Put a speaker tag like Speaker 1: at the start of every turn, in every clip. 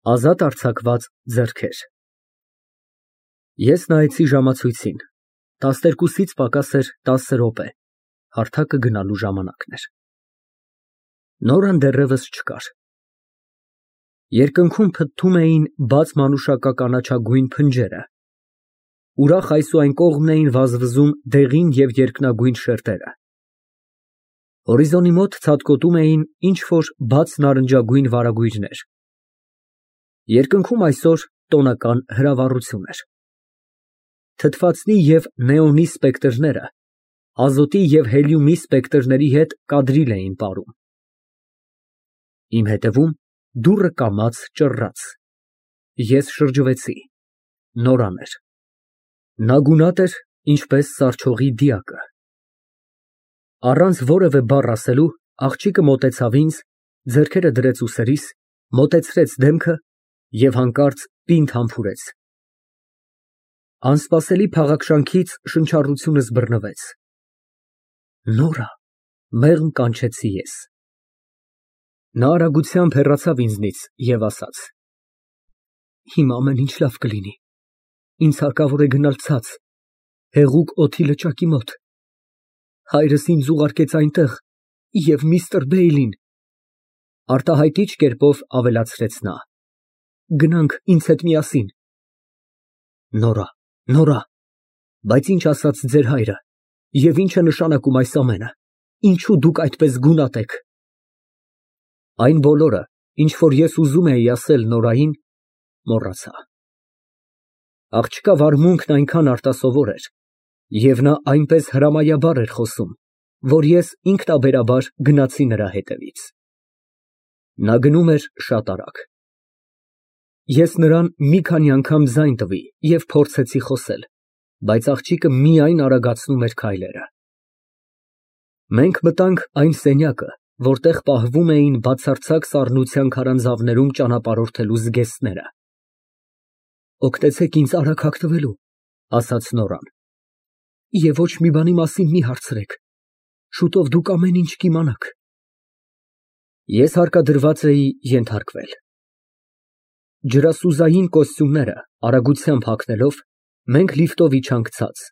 Speaker 1: Ազատ արձակված ձեռքեր։ Ես նայեցի ժամացույցին, 12-ից պակաս էր 10 րոպե, հարթակը գնալու ժամանակն էր։ Նորան դեռևս չկար։ Երկնքում փթթում էին բաց մանուշակականաչագույն փնջերը, ուրախ այս ու այն կողմն էին վազվզում դեղին և երկնագույն շերտերը։ Հորիզոնի մոտ ցատկոտում էին ինչ֊որ բաց նարնջագույն վարագույրներ։ Երկնքում այսօր տոնական հրավառություն էր։ Թթվածնի և նեոնի սպեկտրները ազոտի և հելիումի սպեկտրների հետ կադրիլ էին պարում։ Իմ հետևում դուռը կամաց ճռռաց։ Ես շրջվեցի։ Նորան էր։ Նա գունատ էր, ինչպես սառչողի դիակը։ Առանց որևէ բառ ասելու աղջիկը մոտեցավ ինձ, ձեռքերը դրեց ուսերիս, մոտեցրեց դեմքը և հանկարծ պինդ համբուրեց։ Անսպասելի փաղաքշանքից շնչառությունս բռնվեց։ Նորա, մեղմ կանչեցի ես։ Նա արագությամբ հեռացավ ինձնից և ասաց. Հիմա ամեն ինչ լավ կլինի, ինձ հարկավոր է գնալ ցած, հեղուկ օդի լճակի մոտ, հայրս ինձ ուղարկեց այնտեղ և միստր Բեյլին, արտահայտիչ կերպով ավելացրեց նա, գնանք ինձ հետ միասին։ Նորա, բայց ինչ ասաց ձեր հայրը և ինչ է նշանակում այս ամենը, ինչու դուք այդպես գունատ եք։ Այն բոլորը, ինչ որ ես ուզում էի ասել Նորային, մոռացա։ Աղջկա վարմունքն այնքան արտասովոր էր, և նա այնպես հրամայաբար էր խոսում, որ ես ինքնաբերաբար գնացի նրա հետևից։ Նա գնում էր շատ արագ։ Ես նրան մի քանի անգամ ձայն տվի և փորձեցի խոսել, բայց աղջիկը միայն արագացնում էր քայլերը։ Մենք մտանք այն սենյակը, որտեղ պահվում էին բացարձակ սառնության քարանձավներում ճանապարհորդելու զգեստները։ Օգնեցեք ինձ արագ հագնվելու, ասաց Նորան, և ոչ մի բանի մասին մի հարցրեք, շուտով դուք ամեն ինչ կիմանաք։ Ես հարկադրված էի ենթարկվել։ Ջրասուզային կոստյումները արագությամբ հագնելով, մենք լիֆտով իջանք ցած,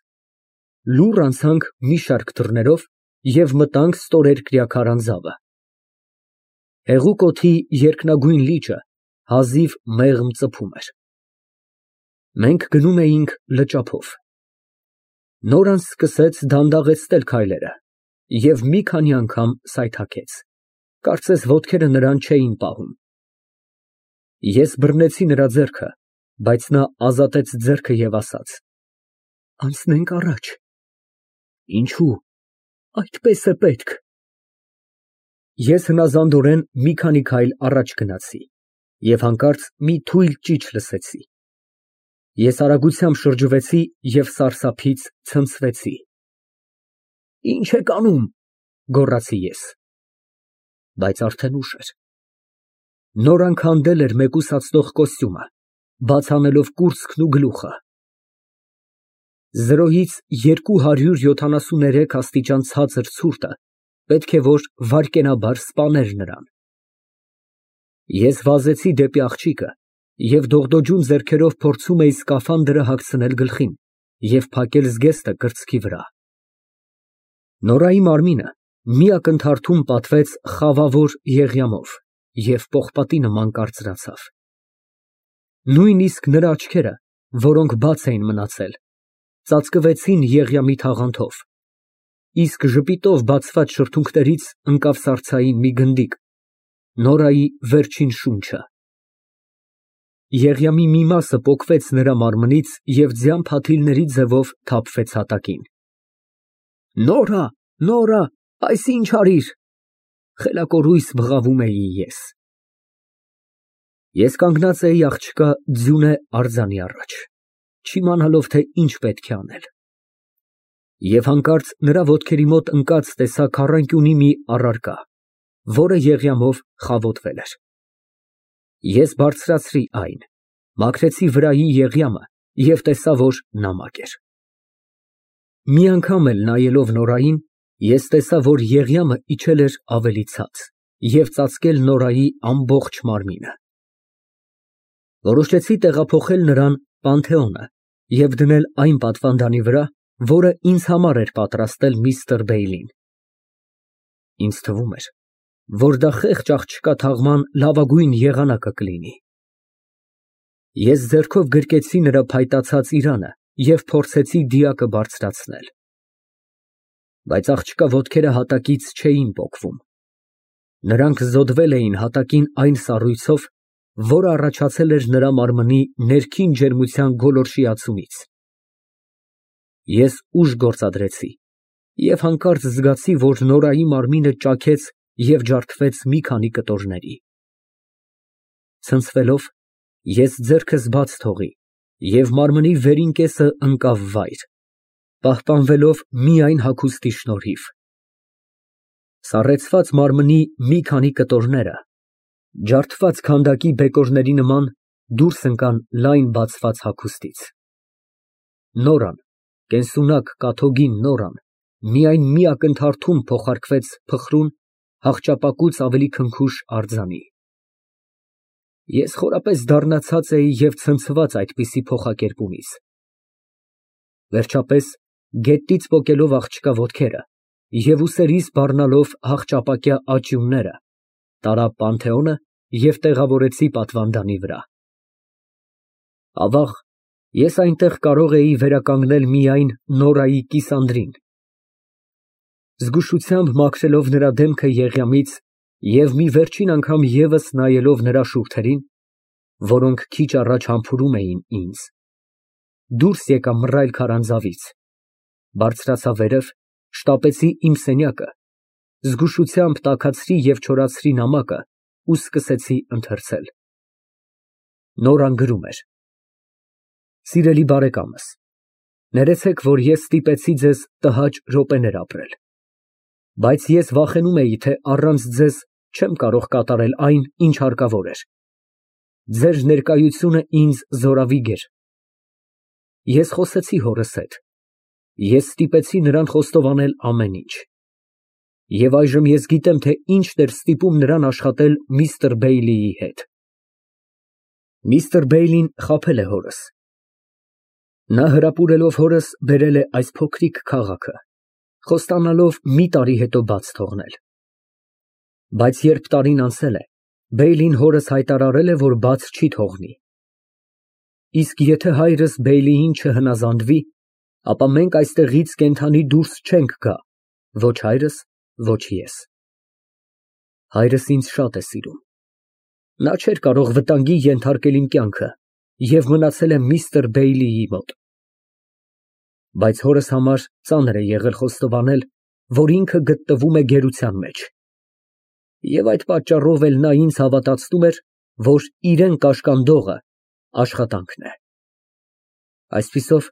Speaker 1: լուռ անցանք մի շարք դռներով և մտանք ստորերկրյա քարանձավը։ Հեղուկ օդի երկնագույն լիճը հազիվ մեղմ ծփում էր։ Մենք գնում էինք լճափով։ Նորան սկսեց դանդաղեցնել քայլերը և մի քանի անգամ սայթաքեց, կարծես ոտքերը նրան չէին պահում։ Ես բռնեցի նրա ձեռքը, բայց նա ազատեց ձեռքը և ասաց. Անցնենք առաջ։ Ինչո՞ւ, այդպես է պետք։ Ես հնազանդորեն մի քանի քայլ առաջ գնացի և հանկարծ մի թույլ ճիչ լսեցի։ Ես արագությամբ շրջվեցի և սարսափից ցնցվեցի։ Ինչ եք անում, գոռացի ես։ Բայց արդեն ուշ էր։ Նորան քանդել էր մեկուսացնող կոստյումը, բաց անելով կուրծքն ու գլուխը։ 0-ից 273 աստիճան ցածր ցուրտը պետք է որ վայրկենաբար սպաներ նրան։ Ես վազեցի դեպի աղջիկը և դողդոջուն ձեռքերով փորձում էի սկաֆանդրը հագցնել գլխին և փակել զգեստը կրծքի վրա։ Նորայի մարմինը մի ակնթարթում պատվեց խավավոր եղյամով և պողպատի նման կարծրացավ։ Նույնիսկ նրա աչքերը, որոնք բաց էին մնացել, ծածկվեցին եղյամի թաղանթով, իսկ ժպիտով բացված շրթունքներից ընկավ սառցային մի գնդիկ, Նորայի վերջին շունչը։ Եղյամի մի մասը պոկվեց նրա մարմնից և ձյան փաթիլների ձևով թափվեց հատակին։ Նորա, այս ինչ արիր, խելակորույս բղավում էի ես։ Ես կանգնած էի աղջկա ձյունե արձանի առաջ, չիմանալով, թե ինչ պետք է անել։ Եվ հանկարծ նրա ոտքերի մոտ ընկած տեսա քառանկյունի մի առարկա, որը եղյամով խավոտվել էր։ Ես բարձրացրի այն, մաքրեցի վրայի եղյամը և տեսա, որ նամակ էր։ Մի անգամ էլ նայելով Նորային, ես տեսա, որ եղյամը իջել էր ավելի ցած և ծածկել Նորայի ամբողջ մարմինը։ Որոշեցի տեղափոխել նրան Պանթեոնը և դնել այն պատվանդանի վրա, որը ինձ համար էր պատրաստել միստր Բեյլին։ Ինձ թվում էր, որ դա խեղճ աղջկա թաղման լավագույն եղանակը կլինի։ Ես ձեռքով գրկեցի նրա փայտացած իրանը և փորձեցի դիակը բարձրացնել։ Բայց աղջկա ոտքերը հատակից չէին պոկվում։ Նրանք զոդվել էին հատակին այն սառույցով, որը առաջացել էր նրա մարմնի ներքին ջերմության գոլորշիացումից։ Ես ուժ գործադրեցի և հանկարծ զգացի, որ Նորայի մարմինը ճաքեց և ջարդվեց մի քանի կտորների։ Ցնցվելով, ես ձեռքս բաց թողի և մարմնի վերին կեսը ընկավ վայր, պահպանվելով միայն հագուստի շնորհիվ։ Սառեցված մարմնի մի քանի կտորները, ջարդված քանդակի բեկորների նման, դուրս ընկան լայն բացված հագուստից։ Նորան, կենսունակ կաթոդին Նորան, միայն մի ակնթարթում փոխարկվեց փխրուն, հախճապակուց ավելի քնքուշ արձանի։ Ես խորապես դառնացած էի և ցնցված այդպիսի փոխակերպումից։ Վերջապես, գետից պոկելով աղջկա ոտքերը և ուսերիս բառնալով հախճապակյա աճյունները, տարա Պանթեոնը և տեղավորեցի պատվանդանի վրա։ Ավաղ, ես այնտեղ կարող էի վերականգնել միայն Նորայի կիսանդրին։ Զգուշությամբ մաքրելով նրա դեմքը եղյամից և մի վերջին անգամ ևս նայելով նրա շուրթերին, որոնք քիչ առաջ համբուրում էին ինձ, դուրս եկա մռայլ քարանձավից, բարձրացա վերև, շտապեցի իմ սենյակը, զգուշությամբ տաքացրի և չորացրի նամակը ու սկսեցի ընթերցել։ Նորան գրում էր. «Սիրելի բարեկամս, ներեցեք, որ ես ստիպեցի ձեզ տհաճ րոպեներ ապրել, բայց ես վախենում էի, թե առանց ձեզ չեմ կարող կատարել այն, ինչ հարկավոր էր։ Ձեր ներկայությունը ինձ զորավիգ էր։ Ես խոսեցի հորս հետ, ես ստիպեցի նրան խոստովանել ամեն ինչ։ Եվ այժմ ես գիտեմ, թե ինչն էր ստիպում նրան աշխատել միստր Բեյլիի հետ։ Միստր Բեյլին խաբել է հորս։ Նա հրապուրելով հորս բերել է այս փոքրիկ քաղաքը, խոստանալով մի տարի հետո բաց թողնել։ Բայց երբ տարին անցել է, Բեյլին հորս հայտարարել է, որ բաց չի թողնի։ Իսկ եթե հայրս Բեյլիին չհնազանդվի, ապա մենք այստեղից կենդանի դուրս չենք գա, ոչ հայրս, ոչ ես։ Հայրս ինձ շատ է սիրում։ Նա չէր կարող վտանգի ենթարկել իմ կյանքը և մնացել է միստր Բեյլիի մոտ։ Բայց հորս համար ծանր է եղել խոստովանել, որ ինքը գտնվում է գերության մեջ։ Եվ այդ պատճառով էլ նա ինձ հավատացնում էր, որ իրան կաշկանդողը աշխատանքն է։ Այսպիսով,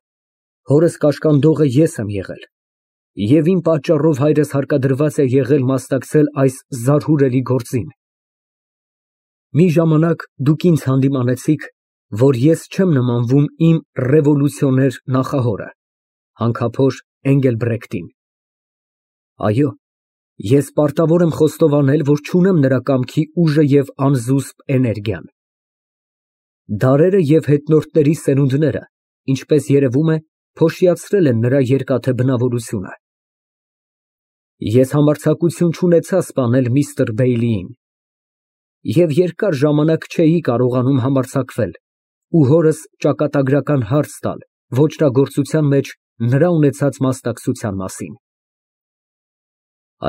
Speaker 1: հորս կաշկանդողը ես եմ եղել, և իմ պատճառով հայրս հարկադրված է եղել մասնակցել այս զարհուրելի գործին։ Մի ժամանակ դուք ինձ հանդիմանեցիք, որ ես չեմ նմանվում իմ ռևոլյուցիոներ նախահորը, հանքափոր Էնգելբրեկտին։ Այո, ես պարտավոր եմ խոստովանել, որ չունեմ նրա կամքի ուժը և անզուսպ էներգիան։ Դարերը և հետնորդների սերունդները, ինչպես երևում է, փոշիացրել են նրա երկաթե բնավորությունը։ Ես համարձակություն չունեցա սպանել միստր Բեյլիին և երկար ժամանակ չէի կարողանում համարձակվել ու հորս ճակատագրական հարց տալ ոճրագործության մեջ նրա ունեցած մասնակցության մասին։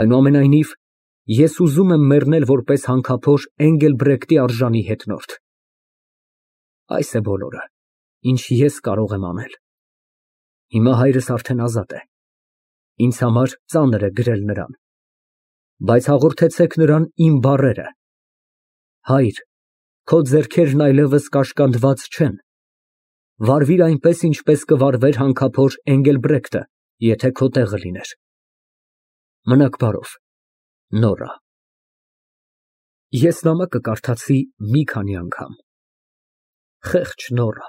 Speaker 1: Այնուամենայնիվ, ես ուզում եմ մեռնել որպես հանքափոր Էնգելբրեկտի արժանի հետնորդ։ Այս է բոլորը, ինչ ես կարող եմ անել։ Հիմա հայրս արդեն ազատ է։ Ինձ համար ծանր է գրել նրան, բայց հաղորդեցեք նրան իմ բառերը. հայր, քո ձեռքերն այլևս կաշկանդված չեն, վարվիր այնպես, ինչպես կվարվեր հանքափոր Էնգելբրեկտը, եթե քո տեղը լիներ։ Մնաք բարով, Նորա։ Ես նամակը կարդացի մի քանի անգամ։ Խեղճ Նորա,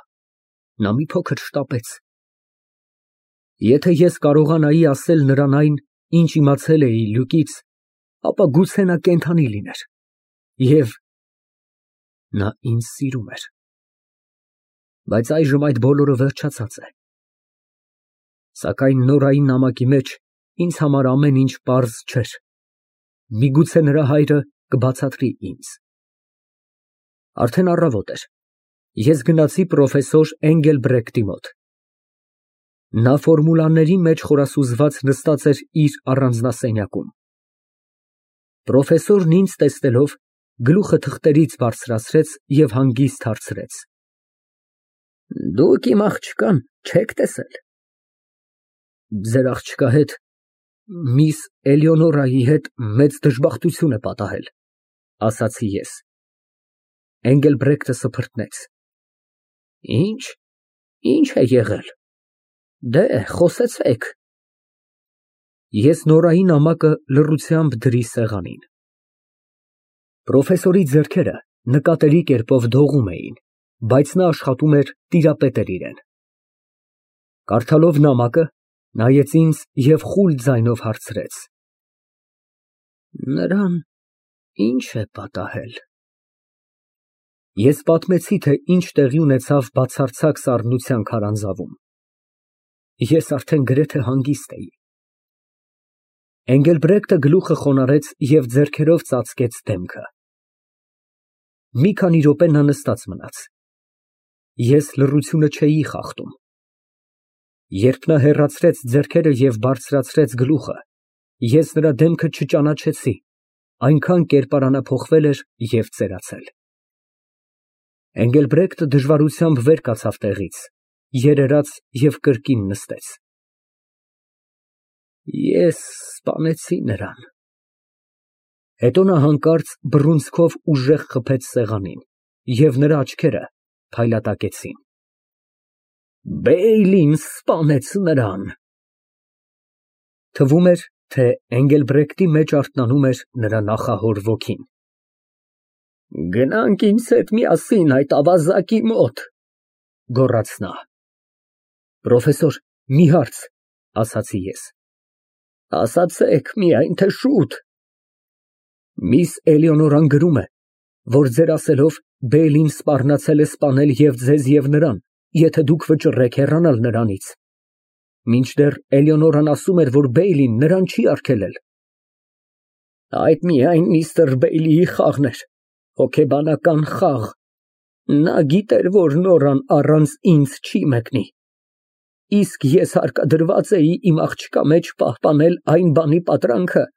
Speaker 1: նա մի փոքր շտապեց։ Եթե ես կարողանայի ասել նրան այն, ինչ իմացել էի Լյուկից, ապա գուցե նա կենդանի լիներ, և նա ինձ սիրում էր։ Բայց այժմ այդ բոլորը վերջացած է։ Սակայն նորային նամակի մեջ ինձ համար ամեն ինչ պարզ չէր։ Միգուցե նրա հայրը կբացատրի ինձ։ Արդեն առավոտ էր։ Ես գնացի պրոֆեսոր Էնգելբրեկտի մոտ։ Նա ֆորմուլաների մեջ խորասուզված նստած էր իր առանձնասենյակում։ Պրոֆեսորն ինձ տեսնելով գլուխը թղթերից բարձրացրեց և հանգիստ հարցրեց. Դուք իմ աղջկան չեք տեսել։ Ձեր աղջկա հետ միս Էլեոնորայի հետ մեծ դժբախտություն է պատահել, ասացի ես։ Էնգելբրեկտը սփռտնեց։ Ինչ է եղել։ Դե, խոսեցեք։ Ես նորային նամակը լռությամբ դրի սեղանին։ Պրոֆեսորի ձեռքերը նկատելի կերպով դողում էին, բայց նա աշխատում էր տիրապետել իրեն։ Կարդալով նամակը, նայեց ինձ և խուլ ձայնով հարցրեց. Նրան ի՞նչ է պատահել։ Ես պատմեցի, թե ինչ տեղի ունեցավ բացարձակ սառնության քարանձավում։ Ես արդեն գրեթե հանգիստ էի։ Էնգելբրեկտը գլուխը խոնարհեց և ձեռքերով ծածկեց դեմքը։ Մի քանի րոպե նա նստած մնաց։ Ես լռությունը չէի խախտում։ Երբ նա հեռացրեց ձեռքերը և բարձրացրեց գլուխը, ես նրա դեմքը չճանաչեցի, այնքան կերպարանափոխվել էր և ծերացել։ Էնգելբրեկտը դժվարությամբ վեր կացավ տեղից, երերաց և կրկին նստեց։ Ես սպանեցի նրան։ Հետո նա հանկարծ բռունցքով ուժեղ խփեց սեղանին, և նրա աչքերը փայլատակեցին։ Բեյլին սպանեց նրան։ Թվում էր, թե Էնգելբրեկտի մեջ արթնանում էր նրա նախահոր ոգին։ Գնանք ինձ հետ միասին այդ ավազակի մոտ, գոռաց նա։ Պրոֆեսոր, մի հարց, ասացի ես։ Ասացեք միայն, թե շուտ։ Միս Էլեոնորան գրում է, որ ձեր ասելով Բեյլին սպառնացել է սպանել և ձեզ և նրան, եթե դուք վճռեք հեռանալ նրանից։ Մինչդեռ Էլեոնորան ասում էր, որ Բեյլին նրան չի արգելել։ Այդ միայն միստր Բեյլիի խաղն էր, հոգեբանական խաղ։ Նա գիտեր, որ Նորան առանց ինձ չի մեկնի։ Իսկ ես հարկադրված էի իմ աղջկա մեջ պահպանել այն բանի պատրանքը,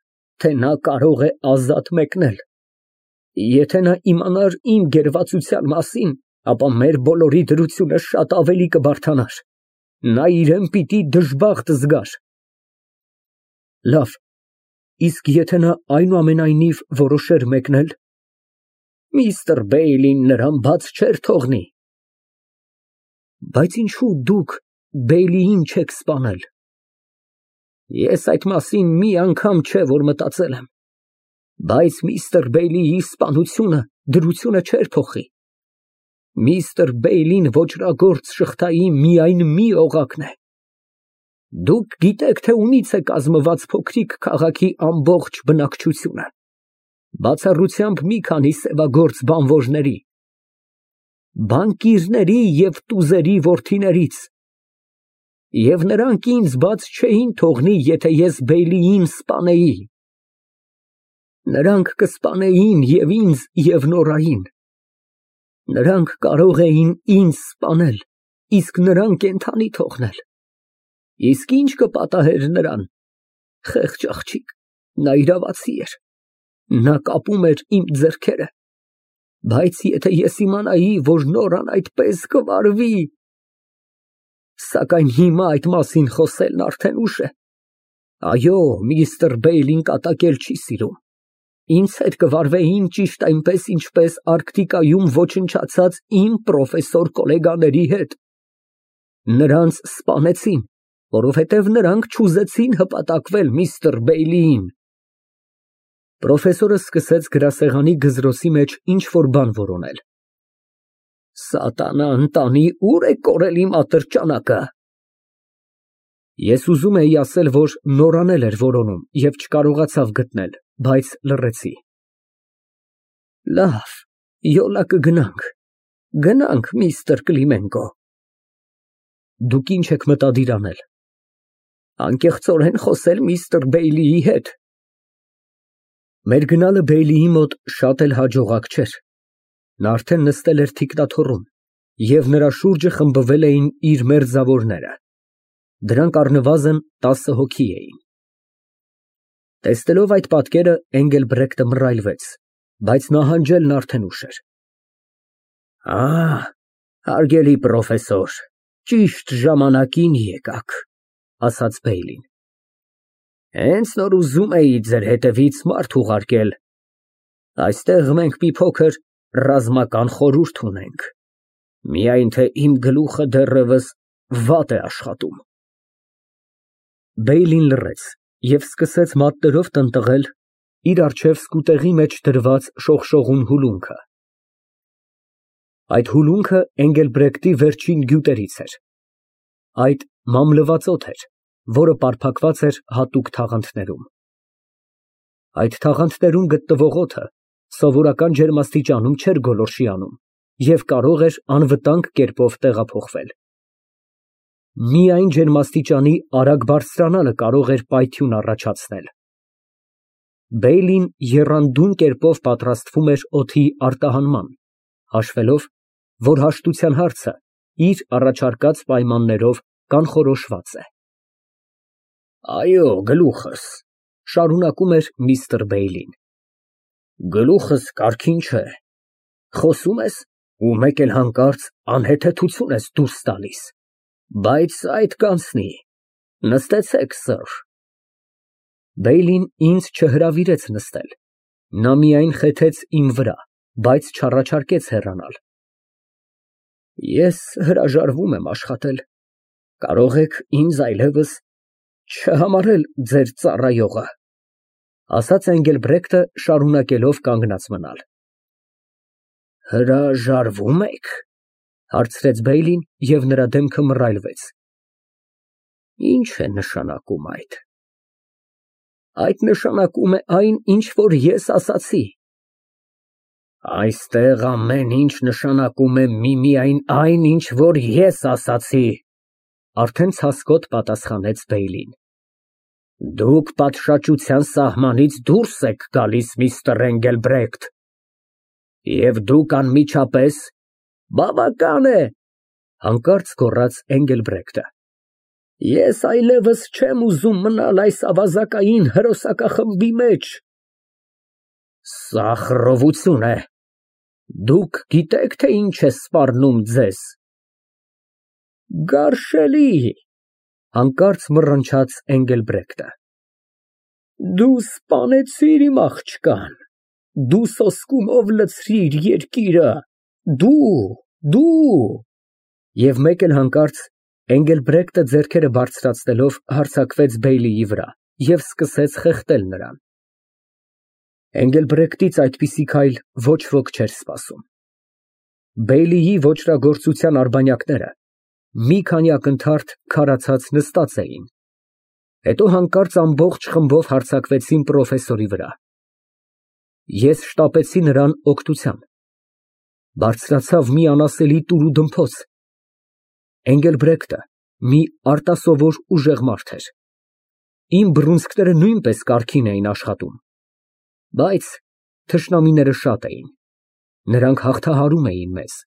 Speaker 1: թե նա կարող է ազատ մեկնել։ Եթե նա իմանար իմ գերվածության մասին, ապա մեր բոլորի դրությունը շատ ավելի կբարդանար։ Նա իրեն պիտի դժբախտ զգար։ Լավ, իսկ եթե նա այնուամենայնիվ որոշեր մեկնել։ Միստր Բեյլին նրան բաց չէր թողնի։ Բայց ինչու դուք Բեյլիին չեք սպանել։ Ես այդ մասին մի անգամ չէ որ մտածել եմ։ Բայց միստր Բեյլիի սպանությունը դրությունը չէր փոխի։ Միստր Բեյլին ոճրագործ շղթայի միայն մի օղակն է։ Դուք գիտեք, թե ումից է կազմված փոքրիկ քաղաքի ամբողջ բնակչությունը։ Բացառությամբ մի քանի սևագործ բանվորների, բանկիրների և տուզերի որդիներից։ Եվ նրանք ինձ բաց չէին թողնի, եթե ես Բեյլիին սպանեի։ Նրանք կսպանեին և ինձ, և Նորային։ Նրանք կարող էին ինձ սպանել, իսկ նրան կենդանի թողնել։ Իսկ ինչ կպատահեր նրան։ Խեղճ աղջիկ, նա իրավացի էր։ Նա կապում էր իմ ձեռքերը։ Բայց եթե ես իմանայի, որ Նորան այդպես կվարվի… Սակայն հիմա այդ մասին խոսելն արդեն ուշ է։ Այո, միստր Բեյլին կատակել չի սիրում։ Ինձ հետ կվարվեին ճիշտ այնպես, ինչպես Արկտիկայում ոչնչացած իմ պրոֆեսոր գոլեգաների հետ։ Նրանց սպանեցին, որովհետև նրանք չուզեցին հպատակվել միստր Բեյլիին։ Պրոֆեսորը սկսեց գրասեղանի գզրոցի մեջ ինչ֊որ բան որոնել։ Սատանա ընտանի, ուր է կորել իմ ատրճանակը։ Ես ուզում էի ասել, որ Նորան էլ էր որոնում և չկարողացավ գտնել, բայց լռեցի։ Լավ, յոլա կգնանք։ Գնանք, միստր Կլիմենկո։ Դուք ինչ եք մտադիր անել։
Speaker 2: Անկեղծորեն խոսել միստր Բեյլիի հետ։
Speaker 1: Մեր գնալը Բեյլիի մոտ շատ էլ հաջողակ չէր։ Նա արդեն նստել էր թիկնաթոռում, և նրա շուրջը խմբվել էին իր մերձավորները։ Դրանք առնվազն 10 հոգի էին։ Տեսնելով այդ պատկերը, Էնգելբրեկտը մռայլվեց, բայց նահանջելն արդեն ուշ էր։
Speaker 2: Հարգելի պրոֆեսոր, ճիշտ ժամանակին եկաք,
Speaker 1: ասաց Բեյլին։
Speaker 2: Հենց նոր ուզում էի ձեր հետևից մարդ ուղարկել։ Այստեղ մենք մի փոքր ռազմական խորհուրդ ունենք։ Միայն թե իմ գլուխը դեռևս վատ է աշխատում։
Speaker 1: Բեյլին լռեց և սկսեց մատներով տնտղել իր առջև սկուտեղի մեջ դրված շողշողուն հուլունքը։ Այդ հուլունքը Էնգելբրեկտի վերջին գյուտերից էր։ Այդ մամլված օդ էր, որը պարփակված էր հատուկ թաղանթներում։ Այդ թաղանթներում գտնվող օդը սովորական ջերմաստիճանում չէր գոլորշիանում և կարող էր անվտանգ կերպով տեղափոխվել։ Միայն ջերմաստիճանի արագ բարձրանալը կարող էր պայթյուն առաջացնել։ Բեյլին եռանդուն կերպով պատրաստվում էր օդի արտահանման, հաշվելով, որ հաշտության հարցը իր առաջարկած պայմաններով կանխորոշված է։
Speaker 2: Այո, գլուխս,
Speaker 1: շարունակում էր միստր Բեյլին։
Speaker 2: Գլուխս կարգին չէ։ Խոսում ես ու մեկ էլ հանկարծ անհեթեթություն ես դուրս տալիս, բայց այդ կանցնի։ Նստեցեք, սըր։
Speaker 1: Բեյլին ինձ չհրավիրեց նստել։ Նա միայն խեթեց իմ վրա, բայց չառաջարկեց հեռանալ։
Speaker 2: Ես հրաժարվում եմ աշխատել։ Կարող եք ինձ այլևս չհամարել ձեր ծառայողը,
Speaker 1: ասաց Էնգելբրեկտը, շարունակելով կանգնած մնալ։
Speaker 2: Հրաժարվո՞ւմ եք,
Speaker 1: հարցրեց Բեյլին, և նրա դեմքը մռայլվեց։
Speaker 2: Ինչ է նշանակում այդ։ Այդ նշանակում է այն, ինչ որ ես ասացի։ Այստեղ ամեն ինչ նշանակում է միմիայն այն, ինչ որ ես ասացի,
Speaker 1: արդեն ցասկոտ պատասխանեց Բեյլին։
Speaker 2: Դուք պատշաճության սահմանից դուրս եք գալիս, միստր Էնգելբրեկտ, և դուք անմիջապես բավական է,
Speaker 1: հանկարծ գոռաց Էնգելբրեկտը։
Speaker 2: Ես այլևս չեմ ուզում մնալ այս ավազակային հրոսակախմբի մեջ։ Սա խռովություն է։ Դուք գիտեք, թե ինչ է սպառնում ձեզ։ Գարշելի,
Speaker 1: հանկարծ մռնչաց Էնգելբրեկտը։
Speaker 2: Դու սպանեցիր իմ աղջկան, դու սոսկումով լցրիր երկիրը, դու…
Speaker 1: Եվ մեկ էլ հանկարծ Էնգելբրեկտը ձեռքերը բարձրացնելով հարձակվեց Բեյլիի վրա և սկսեց խեղդել նրան։ Էնգելբրեկտից այդպիսի քայլ ոչ ոք չէր սպասում։ Բեյլիի ոճրագործության արբանյակները մի քանի ակնթարթ քարացած նստած էին, հետո հանկարծ ամբողջ խմբով հարձակվեցին պրոֆեսորի վրա։ Ես շտապեցի նրան օգնության։ Բարձրացավ մի անասելի տուրուդմփոց։ Էնգելբրեկտը մի արտասովոր ուժեղ մարդ էր։ Իմ բռունցքները նույնպես կարգին էին աշխատում, բայց թշնամիները շատ էին։ Նրանք հաղթահարում էին մեզ։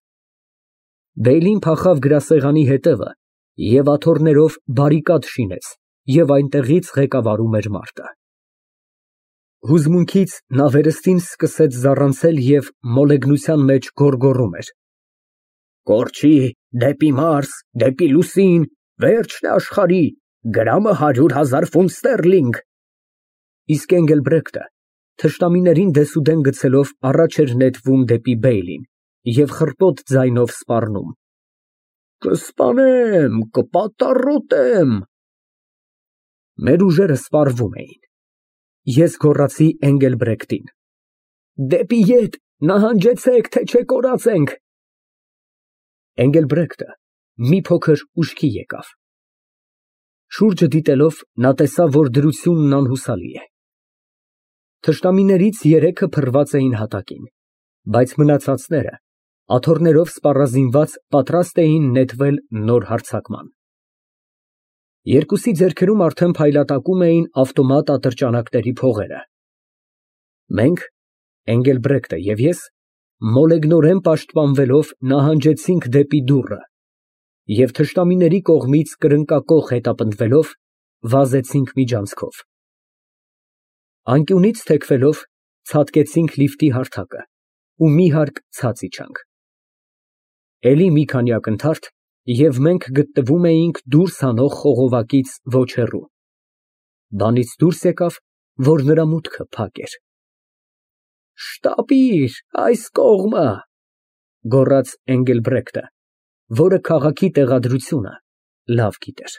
Speaker 1: Բեյլին փախավ գրասեղանի հետևը և աթոռներով բարիկադ շինեց և այնտեղից ղեկավարում էր մարտը։ Հուզմունքից նա վերստին սկսեց զառանցել և մոլեգնության մեջ գոռգոռում էր.
Speaker 2: Կորչի, դեպի Մարս, դեպի լուսին, վերջն է աշխարհի, գրամը 100,000 ֆունտ ստերլինգ։
Speaker 1: Իսկ Էնգելբրեկտը թշնամիներին դեսուդեն գցելով առաջ էր նետվում դեպի Բեյլին և խռպոտ ձայնով սպառնում.
Speaker 2: Կսպանեմ, կպատառոտեմ։
Speaker 1: Մեր ուժերը սպառվում էին։ Ես գոռացի Էնգելբրեկտին.
Speaker 2: Դեպի ետ, նահանջեցեք, թե չէ կորածենք։
Speaker 1: Էնգելբրեկտը մի փոքր ուշքի եկավ։ Շուրջը դիտելով, նա տեսավ, որ դրությունն անհուսալի է։ Թշնամիներից 3-ը փռված էին հատակին, բայց մնացածները աթոռներով սպառազինված պատրաստ էին նետվել նոր հարձակման։ Երկուսի ձեռքերում արդեն փայլատակում էին ավտոմատ ատրճանակների փողերը։ Մենք, Էնգելբրեկտը և ես, մոլեգնորեն պաշտպանվելով նահանջեցինք դեպի դուռը և թշնամիների կողմից կրկնակոխ հետապնդվելով վազեցինք միջանցքով։ Անկյունից թեքվելով ցատկեցինք լիֆտի հարթակը ու մի հարկ ցած իջանք։ Էլի մի քանի ակնթարթ, և մենք գտնվում էինք դուրս հանող խողովակից ոչ հեռու։ Բանից դուրս եկավ, որ նրա մուտքը փակ էր։ «Շտապիր այս կողմը», գոռաց Էնգելբրեկտը, որը քաղաքի տեղադրությունը լավ գիտեր։